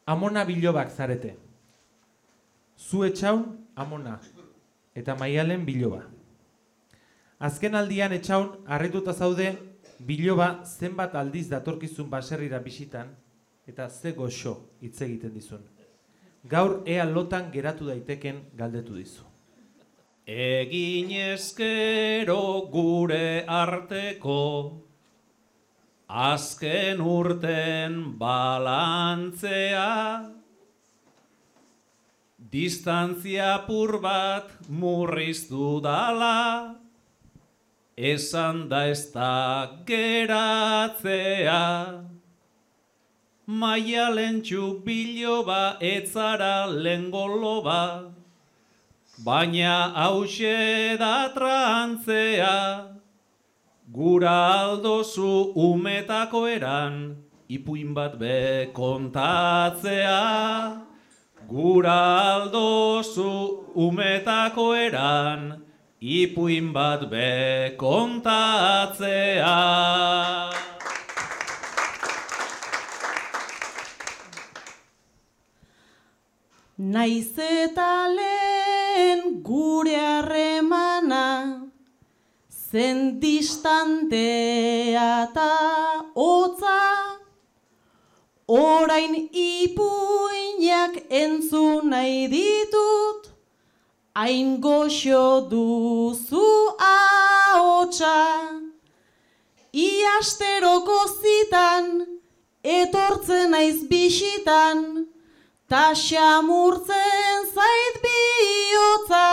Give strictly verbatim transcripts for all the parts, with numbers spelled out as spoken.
Amona bilobak zarete. Zu etxaun, amona, eta Maialen biloba. Azken aldian etxaun, harrituta zaude, biloba zenbat aldiz datorkizun baserrira bisitan, eta ze goxo hitz egiten dizun. Gaur ea lotan geratu daiteken galdetu dizu. Egin ezkero gure arteko, azken urten balantzea, distantzia apur bat murriztu dala, esan da ez da geratzea. Maialentxu biloba etzara lengoloba, baina hause da trantzea. Gura aldozu umetako eran, ipuin bat be kontatzea. Gura aldozu umetako eran, ipuin bat be kontatzea. Naiz eta lehen gure harremana, zen distantea eta hotza, orain ipuinak entzun nahi ditut, hain goxo duzu ahotsa. Iasteroko zitan, etortzen naiz bisitan, ta xamurtzen zait bihotza.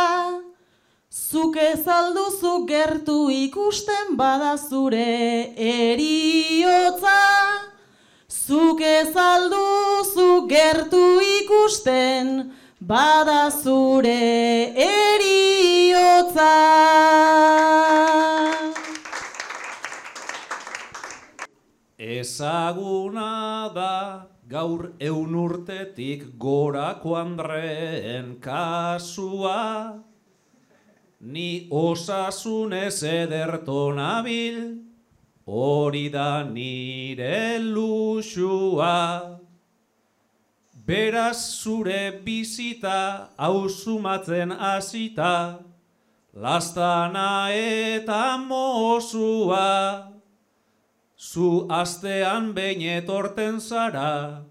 Zuk ez alduzu gertu ikusten bada zure eriotza. Zuk ez alduzu gertu ikusten bada zure eriotza. Ezaguna da gaur eun urtetik gorako Andreen kasua, ni osasunez ederto nabil, hori da nire luxua. Beraz zure bizita hausumatzen hasita, lastana eta mozua. Zu astean behin etorten zara,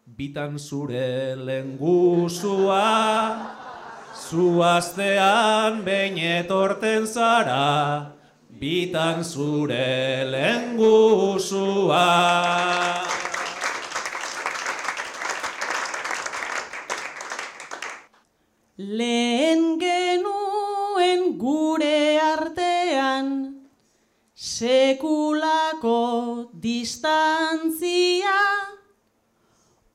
bitan zure lenguzua. Zu astean behin etorten zara, bitan zure lenguzua. Lehen genuen gure artean, sekulako distantzia,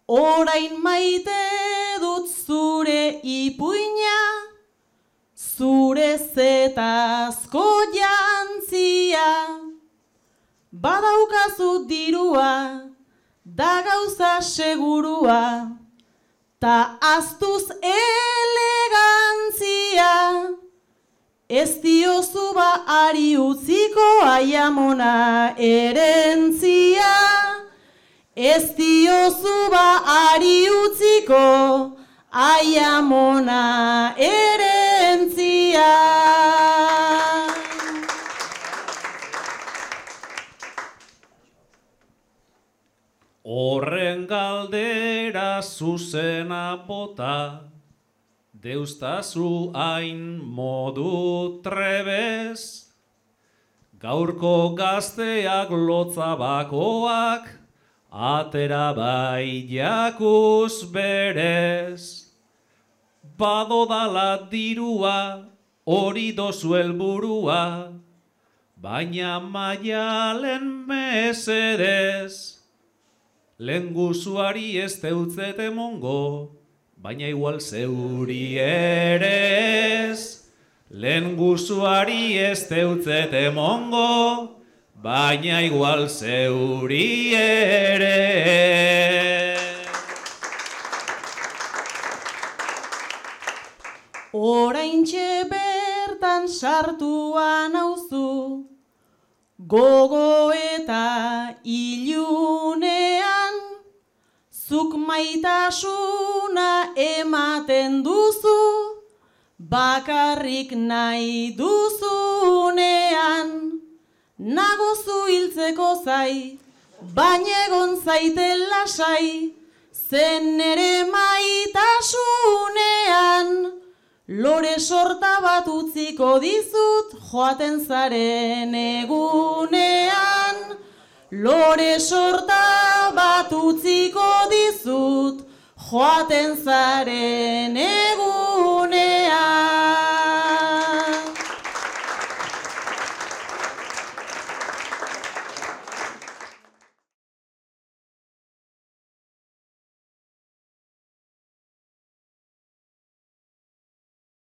orain maite dut zure ipuina, zure zetazko jantzia. Badaukazu dirua, da gauza segurua, ta aztuz elegantzia. Ez diozu ba ari utziko aiamona erentzia. Ez diozu ba ari utziko aiamona erentzia. Horren galdera zuzena bota, deustazu hain modu trebez, gaurko gazteak lotza bakoak, atera bai jakuz berez. Badodala dirua, hori dozu helburua, baina Maialen mesedez. Lenguzuari ez deutzete mongo, baina igual zeuri ere ez. Lenguzuari ez deutzete mongo, baina igual zeuri ere ez. Oraintxe bertan sartuan nauzu, gogo eta ilunean, Zuk maitasuna ematen duzu, bakarrik nahi duzunean. Nagozu hiltzeko zai, baina egon zaiten lasai, zen ere maitasunean. Lore sorta bat utziko dizut, joaten zaren egunean. Lore sorta bat utziko dizut, joaten zaren egunean.